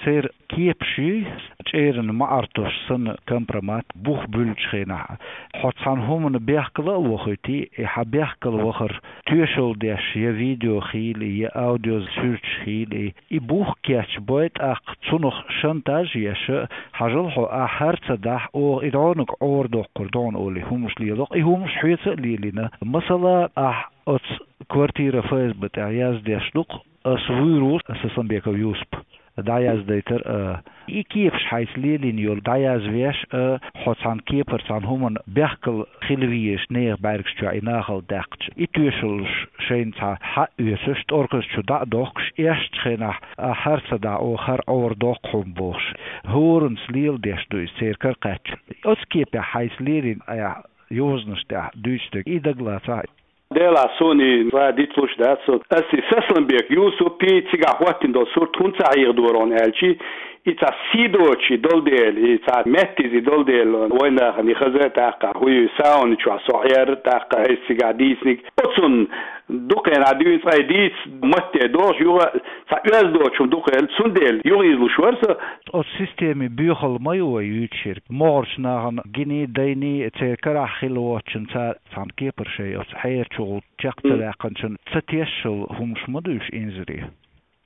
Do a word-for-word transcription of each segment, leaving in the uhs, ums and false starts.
Церан кепаш ю, чӀеран маӀар тосуш санна компромат, бух буьллучу хенахь, хьо цхьана хӀуманна бехкала а вохуьйтий, и хьан бехкала вахар тоьшалла деш, я видео хийла, я аудио суьрташ хийла, и бух кечбой, тӀаккха цунах шантаж а еш, хьажал хьо, ахь хӀара ца дахь, оха и дӀонаг Ӏорадоккхур ду хьуна олий, хӀуманаш лело-кх. И хӀуманаш хьоьца а лелийна. Масала, ахь оцу квартира ФСБ тӀехь яздеш ду-кх, ас вуьйр ву, Сасламбеков Юсуп. ДӀаяздайтар а, и кепаш хьайца лелийна йолу дӀаязвеш а, хьо цхьана кепара цхьана хӀуманна бехкала хила везаш нехан бӀаьргаш чохь и нахала даьккхича, и тоьшаллаш шайна цхьа хьа а оьцуш, тӀорказ чу дӀа а дохкуш, эшначу хенахь, ахь хӀара ца дахь, оха хӀара Ӏорадоккху хьуна бохуш, хӀоранца лела деш ду иза церан кара кхаьчча. Оцу кепехь хьайца лелийна айхьа йозанаш тӀехь дуьйцу дерг, и дагалацахь. Делахь суна и цкъа а дицлуш дац со. Ас и Сасламбек Юсупи цигахь хӀоттийна долу сурт хӀунда ца хьехадора хьуна аьлчи, и цхьа сий доцуш и долу дела, и цхьа меттаза и долу дела, вайн нахана и хаза а тӀаккха, хӀуй сауна чохь со хьера тӀаккха, айса цигахь дийциниг. Оцунна дукха хенахь дуьйна цкъа и дийца матте дохуш, юха цхьа оьзда доцуш хӀума дукха хилла, цундела юха излуш вара со. Оцу системин боьхалла ма ю вай юьйцуш ерг. МогӀарчу нахана гиний, дайний, церан карахь хилла воцчунна цара цхьана кепара шайн оцу хьерачу гӀуллакх чекх ца ваьккхинчунна ца тешшал хӀуманаш ма ду уьш инзаре.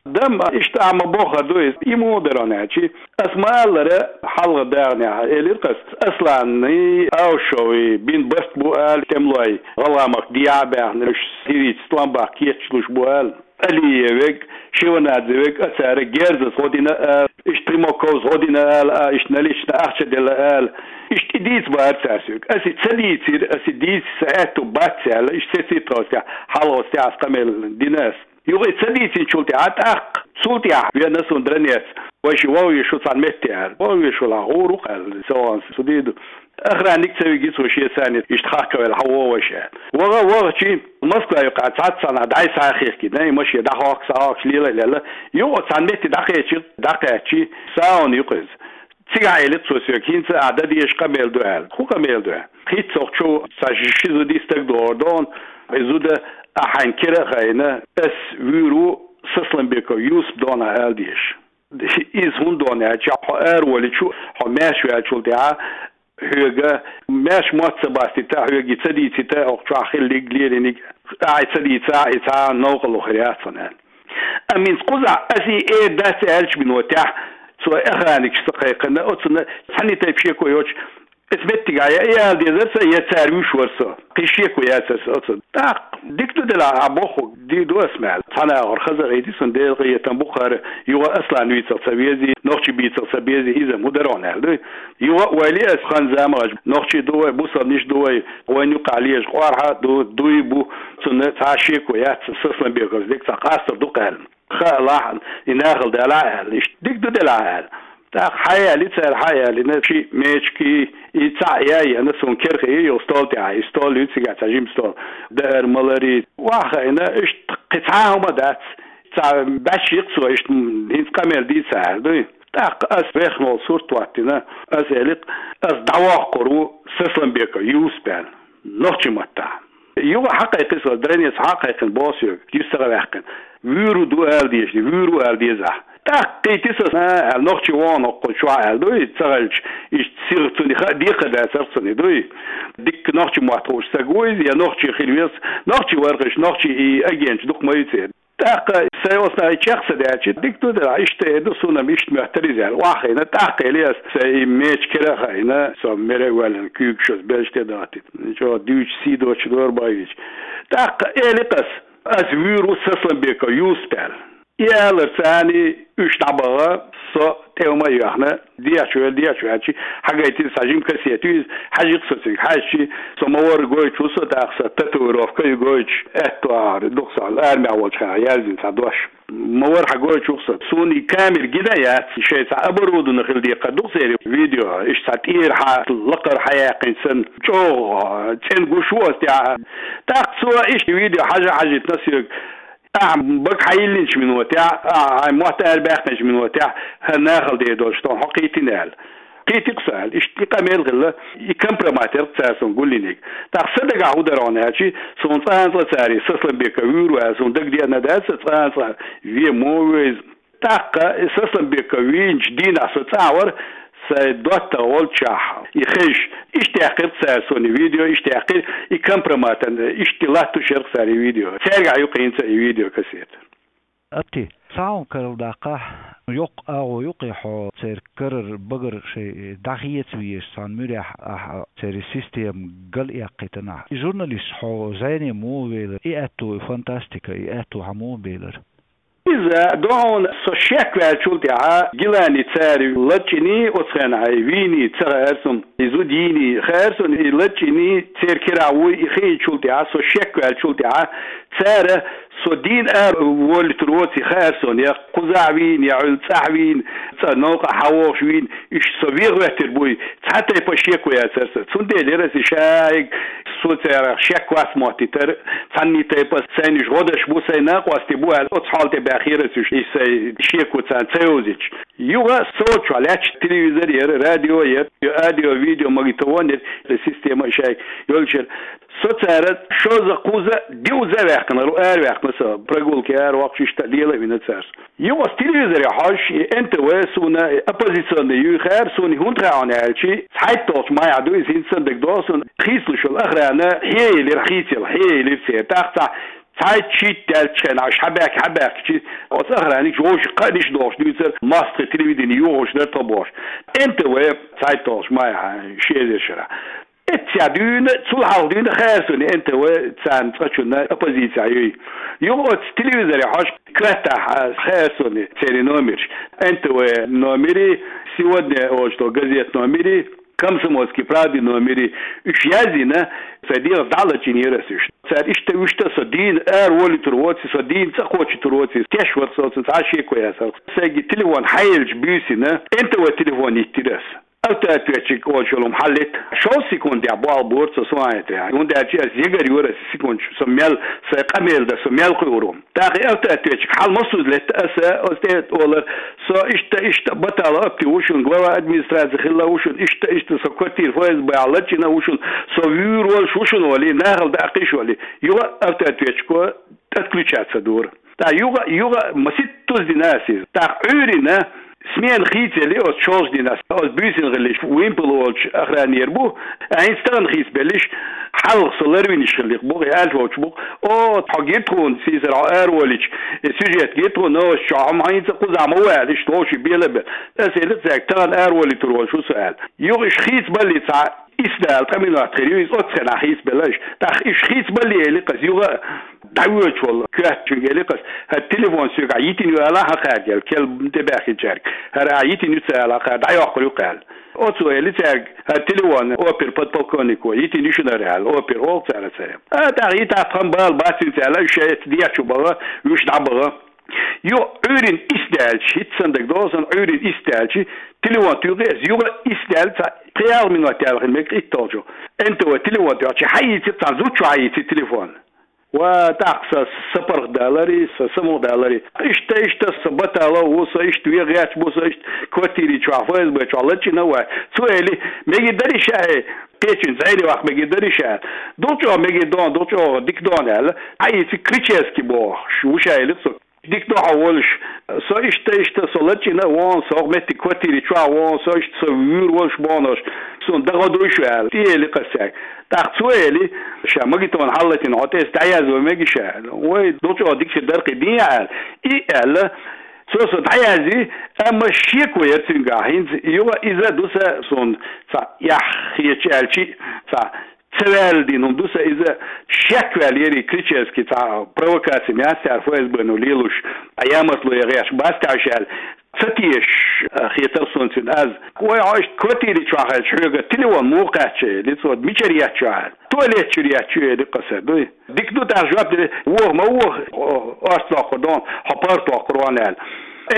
Дам, иштта а ма боххар ду иза, и муха дара аьлчи, ас ма-аллара, хьалха дагӀанехь элира-кх ас, Асланний, Аушовий бина барт бу ала, тӀемалой гӀалгӀамах дехьа а баьхна, уьш сирийца тӀом баккха кечдалуш бу ала. Алиевег, Шеванадзевег а цара герзаца гӀо дина ала, иштта Примаковс гӀо дина ала, а, иштта налична ахча делла ала. Иштта и дийца бара цара соьга. Ас и ца дийцира, ас и дийца сан аьтту бац аьлла, иштта сецира тхо оцу тӀехь, хьалха оцу тӀехь ас къамел дина ас. Юха и ца дийцинчул тӀаьхьа тӀаккха, цул тӀаьхьа вен ас хӀун дара нец. Вай ши вогӀу веш ву цхьана метте аьлла. ВогӀу веш ву, гӀур ву-кх аьлла, со ван, со дийр ду. Охранник ца виги цо шен царна иштта хьахкавелла, хьан вогӀу вай ша. ВогӀа, вогӀучи, Москва юкъахь цхьацца нах дӀай схьа а хихкина, и машен дӀахьокху, схьахьокхуш лела а лелла, юха цхьана метте дӀакхечира, дӀакхаьччи, сауна ю-кх иза. Цигахь элира цо соьга, хӀинца ахь дан дезаш къамел ду аьлла. ХӀун къамел ду аьлла? Хица цхьа чу цхьа ши зуда, и стаг догӀур ду хьуна, и зуда, ахь хьайна кира а хайна, ас вуьйр ву, Сасламбеков Юсуп ду хьуна ахь ала дезаш. Иза хӀунда ду хьуна аьлча, хьо араволучу, хьо маьрша ваьллачул тӀаьхьа, хьоьга маьрша мотт ца бастийта, хьоьга и ца дийцийта, хӀокху чохь хиллиг, лелийниг, ахьа ца дийцахь, и цхьа а новкъарло хир яц хьуна аьлла. Амма хӀинца кхузахь ас и эр дац аьллачу минотехь, цо охранникаш ца кхайкхина, оцунна цхьанна тайпа шеко йоцуш, аса меттигахь я и ала дезара сан, я цара вуьйш вара со. Кхин шеко яцара сан оцу. ТӀаккха дика ду делахь, ахь бохург дийр ду ас мел. Цхьана агӀор хаза а гӀийти сан, Делан къинхетам бу-кх хӀара, юха Аслан вийцал ца вези, нохчий бийцал ца бези, иза хӀун дара хьуна аьлла дуй? Юха а вай ле ас хан-заманаш, нохчий ду вай, бусалбанаш ду вай, вайн юккъахь лежа къорхьа а ду, дуй а бу, цунна цхьа а шеко яц, Сасламбековс дерг цхьа къастар ду-кх аьлла. Хаалахь, и нахала далахь аьлла, иштта дика ду делахь аьлла. ТӀаккха хьаяьлли цара, хьаяьллина, ши мечки, и цхьаъ яй яна, суна кара хии, юха стол тӀехь, и стол ю цигахь, цхьа жима стол. Даар-маларий, охьахиъна, иштта кхин цхьа а хӀума дац. Цхьа баьчча йи-кх цо, иштта хӀинца къамел дийца аьлла дуй. ТӀаккха ас вехна волу сурт хӀоттийна, ас элира-кх, ас дӀавоккхур ву Сасламбеков Юсуп аьлла, нохчийн маттахь. Юха хьакхайкхи со, дранец хьакхайкхина боху соьга, юьстагӀа ваьккхина. Вуьйр ву ду ала дезаш, вуьйр ву ала деза ахь. ТӀаккха кхийти со, а, аьлла, нохчий вогӀу-кх хӀокху чохь аьлла дуй, ца хилча, иштта сиха цунна хаа декхар дацара цунна дуй. Дикка нохчийн мотт хууш стаг ву иза, я нохчи хила веза, нохчи вара-кх уьш, нохчийн и агенташ дукха ма ю церан. ТӀаккха сайн оцунах чекх ца даьлча, дика ду делахь, иштта а ду, суна-м иштта моьттура иза аьлла. Охьахиъна, тӀаккха элира ас, сайн и меча кара а хаийна, со мара а воьллина, куьйгаш оцу белшаш тӀе даттийта. ЧӀогӀа дуьйцуш, сий доцуш дора бай вича. ТӀаккха элира-кх ас, ас вуьйр ву Сасламбеков Юсуп аьлла. И аларца царний уьш дӀабаха, со тӀе хӀума а йоьхна, дехьа чу ваьлла, дехьа чу ваьлча, хьагайтира, цхьа жима кассета ю иза, хьажи-кх со цуьнга. Хьаьжчи, со ма-варра гойтуш ву со, тӀаккха сан татуировка ю гойтуш, аьтту агӀор ду-кх сан, армехь волчу хенахь яздина цхьа дош. Ма-варра хьан гойтуш ву-кх со. Суна и камера гина а яц, шайн цхьа оборудовани хила декхар ду-кх церан, видео, иштта цхьа тӀера хьа, лакхара хьаяьккхинчу санна, чӀогӀа цӀена гуш ву аса тӀехь. ТӀаккха цо иштта видео хьажа-хьажийтина соьга, ахьа бага хьайиллинчу минотехь, ахьа хьайн мотт арабаьккхинчу минотехь, хӀара нахала дер долуш ду хьо кхийтина аьлла. Кхийти-кх со аьлла. Иштта и къамел хилла, и компромат яра-кх цара суна гулйинарг. ТӀаккха сан дагахь хӀун дара хьуна аьлчи, суна цкъа а цкъа цара, Сасламбеков вуьйр ву аьлла, суна дагадеана дац, цкъа а цкъа вен ма ву иза. ТӀаккха Сасламбеков вийначу дийнахь со цӀахь вара, сайн доттагӀа волчохь и хезаш. Иштта яьккхира цара суна и видео, иштта яьккхира и компроматан, иштта латтош яра цара и видео. Цаьргахь ю-кх хӀинца и видеокассета. Атти, схьа хьуна карладаккхахьа, йоккха агӀо ю-кх и хьо церан карара багара шайн дӀахеца везаш цхьана муьрехь ахьа церан система гал эккхийтинехь. И журналист хьо зӀене муха велира, и аьтту, и фантастика, и аьтту хьан муха белира? Иза, дохьуна, со шек ваьллачул тӀаьхьа, Гилани цара лачкъийний оцу хенахь, вийний ца хаьара суна, и зуда йийний хаьара суна, и лачкъийний церан кирахь вуй, и хиъначул тӀаьхьа, со шек ваьллачул тӀаьхьа, цара со дийна ара волуьйтур воций хаьара суна, я кхузахь вийна, я Ӏуьллу цӀахь вийна, цӀа новкъахь хьан вогӀуш вийна, уьш со вен гӀоьттира буй, цхьа тайпа шеко яцара сан. Цундела яра аса и шайга, со царах шек вац моттийтар, цхьанний тайпа сайна уьш гӀо деш бу, сайн накъостий бу аьлла, оцу хьал тӀе баьхкира аса уьш, и сайн шеко царна ца йовзийташ. Юха со чохь лаьтташ телевизор яра, радио яра, аудио, видео магнитофон яра, система шайга йолчара. Со цара шозза-кхузза, диъазза а ваьккхина, ара ваьккхина со, прогулке ара воккхуш, иштта лела а вина цара. Юха аса телевизоре хьожуш, и Н Т В суна, и оппозиционный юй хаьара суна, хӀунда хаьа хьуна аьлча, цхьайтта долчу майхь ду иза, хӀинца санна дагадогӀу суна, хийцалуш йолу охрана хьеелира, хийцаелла хьеелира церан. ТӀаккха цхьа, цхьайтта-шийтта даьллачу хенахь, уьш хьабаьхкича, хьабаьхкича, оцу охранигаш вовшах кхаъниш а дохуш дуьйцура, массо а телевидени йохуш дара тхо бохуш. Н Т В цхьайтта долчу майхь, ши эзар шарахь. Эццехь дуьйна, цул хьалха дуьйна хаьара суна Н Т В царна цкъачунна оппозицехь юй. Юха оцу телевизоре хьожуш коьртахь хаьара суна церан номерш. Н Т В номери, «Сегодня» олуш долу газет номери, «Комсомольский правды» номери. Уьш яздина, сайн дегӀаца дӀа а лачкъийнера аса уьш. Цара иштта, вуьшта со дийна ара волуьйтур воций, со дийна цӀа кхочуьйтур воций, теш вара со, цунна цхьа а шеко яцара. Сайга телефон хьаелча буьйсина, Н Т В телефон йиттира аса. Автоответчик олуш йолу хӀума хьаллита. Шовзткъа секундехь болх бора цо суна хетарехь. ХӀунда аьлча аса ягар йора аса секундаш, со мел, сайн къамел дан, со мел кхуьур ву. ТӀаккха и автоответчик хьал массуза летта аса, оцу тӀе олар, со иштта, иштта Баталов Апти ву шуна, глава администрации хилла ву шуна, иштта, иштта со квартира Ф С Б-хь лачкъийна ву шуна, со вуьйр волуш ву шуна олий, нахала даккхийша олий. Юха автоответчико отключаться дора. ТӀаккха юха, юха маситтаза дина аса иза. ТӀаккха Ӏуьйрина смена хийцаелли оцу шолгӀачу дийнахь, оцу буьйсина хилларш вимпел волчу охранера бу, а хӀинца тахана хийцабелларш, хьалха со ларвинарш хилларх бу-кх, и аьлларш волчу бу-кх. О, хьо гира тхуна, сийсара хьо араволуьйтуш, и сюжет гира тхуна, новосташ чохь, хьо хӀинца кхузахь ма ву аьлла, иштта вовшийн белабелла. Аса элира цаьрга, тахана араволуьйтур волуш ву со аьлла. Юха уьш хийцабаллалц цхьа исс дала ткъа минот хир ю, иза оццу хенахь хийцабелла уьш. ТӀаккха уьш хийцабаллалц элира аса, юха дӀавоьдуш волу коьртачуьнга элира аса, хӀара телефон соьгахь йитина ю аьлла, хьан кхаьрга аьлла, кхел тӀебаьхкинчаьрга. ХӀара ахь йитина ю ца аьлла, хьан кхаьрга дӀайоккхур ю-кх аьлла. Оцо элира цаьрга, хӀара телефон опер подполковнико йитина ю шуна хӀара аьлла, опер олу цара цаьрга. А, тӀаккха йитахь тхан бала бац хӀинца аьлла, уьш шайца дехьа чу баха, уьш дӀабаха. Юха Ӏуьйрина исс даьлча, хӀинца санна дагадогӀу сан, Ӏуьйрина исс даьлча, телефон туьйхи аса, юха исс даьлла, цхьа пхи-ялх минот яьлла хила мега итталгӀачу. Н Т В телефон туьйхича, хьаийцира, цхьана зудчо хьаийцира телефон. Ва, тӀаккха сан сапаргӀатдалари, сан самукъадалари. Иштта, иштта, сан Баталов ву, сан иштта вен гӀерташ бу, сан иштта квартири чохь, Ф С Б чохь лачкъийна ву. Цо элира, мегар дарий ша, кхечуьнца зӀене ваккха мегар дарий ша. Дукха чӀогӀа мегар ду хьуна, дукха чӀогӀа дика ду хьуна аьлла. Хьаийцира Кричевский бохуш ву ша, элира цо. Дика ду хьо волуш. Со иштта, иштта, со лачкъийна ву хьуна, со хӀокху меттиг квартири чохь ву хьуна, со иштта, со вуьйр волуш бу хьуна, суна дагадогӀий шу аьлла. И элира аса цаьрга. ТӀаккха цо элира, ша магнитофон хьаллатийна, хьо тӀе аса дӀаязъян мегий ша аьлла. Вай, дукха чӀогӀа дика хир дара-кх и дийна аьлла. И аьлла, цо со дӀаязйи, амма шеко яра цуьнгахь хӀинца, юха иза ду сан, суна цхьа эхь хеташ аьлчи, цхьа ца ваьлла дина хӀума ду сан иза, шек ваьлла яра и Кричевский, цхьа провокаци ма яц цара Ф С Б-но лелош, а ямартло ян гӀерташ бац тхьаьш аьлла, ца тешаш, а, хетара суна цуьнан аз. Вай, хьо иштта квартири чохь хилча хьоьга телефон муха кхаьчна, элира цо, мичара етташ ю хьо аьлла. Туалет чуьра етташ ю, элира аса, дуй. Дика ду тӀаккха жоп делира, воха ма воха, о, орца доккхур ду хьуна, хьо паргӀат воккхур ву хьуна аьлла.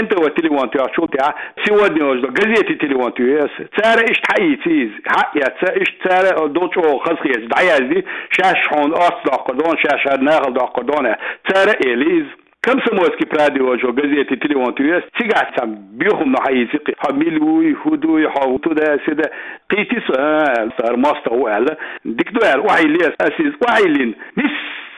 Н Т В телефон тоьхначул тӀаьхьа, «Сегодня» олуш долу газете телефон туьйхи аса. Цара иштта хьаийци иза. Хьаэцна, иштта цара дукха чӀогӀа хазахеташ дӀаязйи, шаьш хьуна орца доккхур ду хьуна, шаьш хӀара нахала доккхур ду хьуна. Цара а элира иза. «Комсомольский правды» олуш долу газете телефон туьйхи аса. Цигахь цхьа боьха хӀума хьаийци-кх. Хьо мила вуй, хӀун дуй, хьо туда-сюда. Кхийтира со, а, аьлла, хӀара мостагӀа ву аьлла. Дика ду аьлла, охьайиллира аса. Аса иза охьайиллина, нис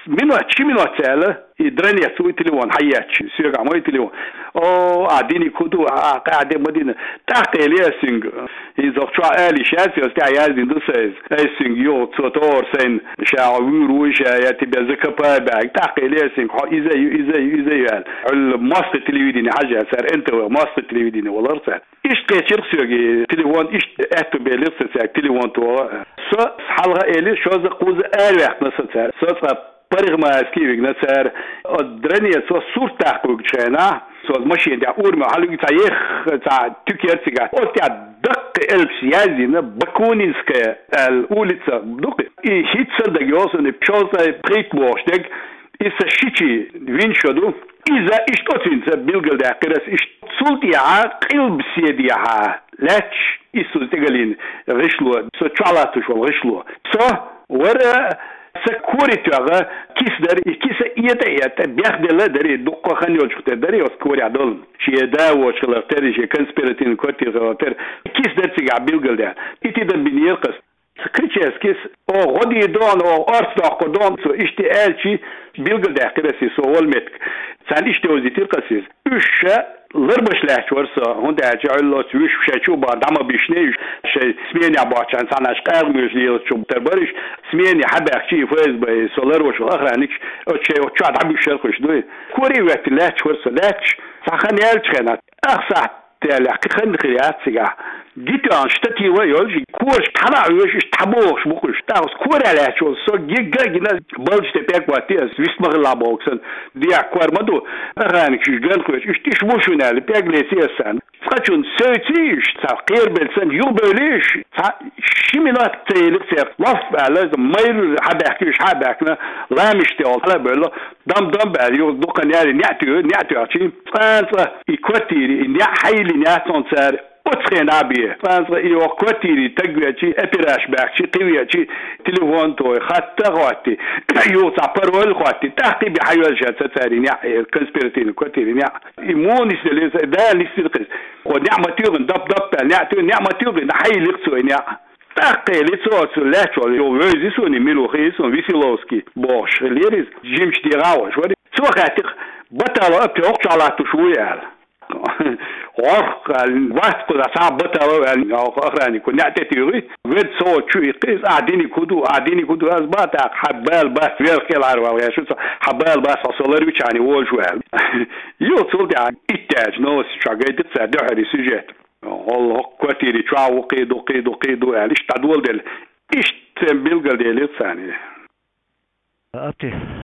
Минот, ши минот цаӀ аьлла, и дранец ву и телефон хьаетташ, соьгахь ма и телефон. О, а диниг хӀун ду, а, а, къаьхьа де ма дина. ТӀаккха элира ас цуьнга. ХӀинца чохь ала йиш яц, аса тӀехь яздина ду сан иза. Ас цуьнга юха цо тохара сайна, ша хьо вуьйр ву ша, я тебе закопаю баьхьиг. ТӀаккха элира ас цуьнга, хьо иза ю, иза ю, иза ю аьлла. Хьуьлла мостагӀа телевидени хьажа цара, эн тэ вэ, мостагӀа телевидени валар цара. Иштта кхечира соьга и телефон, иштта аьтту белира сан цаьрга телефон тоха. Со хьалха элира, шозза-кхузза араваьккхина сан цара. Со цкъа парикмахерски вигна цара. Оцу дранецо сурт даккха вигчу хенахь, со оцу машина тӀехь урамехь хьалуьгу, цхьа ех, цхьа туька яра цигахь. Оцу тӀехь даккхий элпаш яздина, Бакунинская аьлла улица ду-кх. И хӀинцца а дага йогӀу суна, шовзткъе пхийтта бохуш дерг, и сан шичи вина шо ду. Иза иштта оцуьнца билгалдаьккхира ас иштта. Цул тӀаьхьа къилбаседехьа лаьтташ, иссаза тӀегалийна гӀишло, со чохь латтош волу гӀишло. Со вара, сан кори тоьхна киса дара, и киса этӀа-этӀа, бехделла а дара, и дуккха хан йолчух тера дара, и оцу корехь долу. Шен да воцуш хилар тера, шен конспиративный квартира хилар тера. Киса дара цигахь билгалдаьхна. И тидан бинера кхас. Кричевскис, о, гӀо дийр ду хьуна, о, орца доккхур ду хьуна, цо иштта аьлчи, билгалдаьккхира ас иза, со волу меттиг. Царна иштта йовзийтира ас иза. Уьш ша ларбаш лаьтташ вара со, хӀунда аьлча Ӏуьллуц вуьш шайн чу бахар дӀа ма бишний уьш, шайн сменехь бохчарна цхьанаш къагӀа муьйш лелачу тера бара уьш, смене хьабаьхкичи и ФСБ, со ларваш волу охранникаш, оцу шайн оцу чохь дӀабуьссуш яра уьш дуй. Кори а веттина лаьтташ вара со, лаьтташ, цхьа хан яьллачу хенахь, ах сахьт Делахь кхин хан хир яц цигахь. Гитоьн штатива а йолуш, кораш хьала а хьоьжуш, иштта хьабохуш бу-кх уьш. ТӀаккха корехь лаьтташ волу со гига а гина, балдаш тӀе пӀелг хӀоттий ас, вист ма хилла боху сан. Дехьа кор ма ду, охранникаш уьш ган кхоьчу, иштта иштта бу шуна аьлла, пӀелг леций ас царна. Цкъачунна севций уьш, цхьа кхерабелла санна, юхабевллий уьш, цхьа ши минот ца елира церан. Лоф аьлла, майра хьабаьхкий уьш, хьабаьхкина, ламаш тӀе хьала а бевлла, дам-дам баьлла, юха дукха нери неӀ туьйхи, неӀ тоьхчий. Цкъа-цкъа и квартири, и неӀ хьайиллина яц хьуна цара оцу хенахь бен. Цкъа-цкъа и оха квартири таг веачи, операш баьхчи, кхин веачи, телефон той, хатта а хӀоттий, юха цхьа пароль а хӀоттий, тӀаккха и бен хьайоьллуш яц цара и неӀ, э, конспиративный квартири неӀ. И муха нисделира, Дала нисдира-кх иза. Кхо неӀ ма туьйхина, дап-дап аьлла, неӀ туьйхина, неӀ ма туьйхина, хьайиллира цо и неӀ. ТӀаккха кхелий цо оцу лаьтташ волу, юха вевзий суна, мила ву хии суна, Веселовский бохуш хиллера иза, жимачу дегӀан а волуш вара. Цо хаьттира, Баталов Апти хӀокху чохь латтош вуй аьлла. ГӀорх аьлла, вац кхузахь цхьа а Баталов аьлла, охраннико неӀ тӀе туьйхи, ведда со оцу чу иккхи иза, ахь диниг хӀун ду, ахь диниг хӀун ду, ас бан тӀаккха, хьан бала бац, верх кӀелхьара вала гӀерташ ву со, хьан бала бац, хьо со лар вичахьана волуш ву аьлла. Юха цул тӀаьхьа иттаьллачу новосташ чохь гайтира цара дуьххьара сюжет. ГӀолла хӀокху квартири чохь ву, кхин ду, кхин ду, кхин ду аьлла, иштта дӀадоладелла. Иштта церан билгалделира царна. Апти,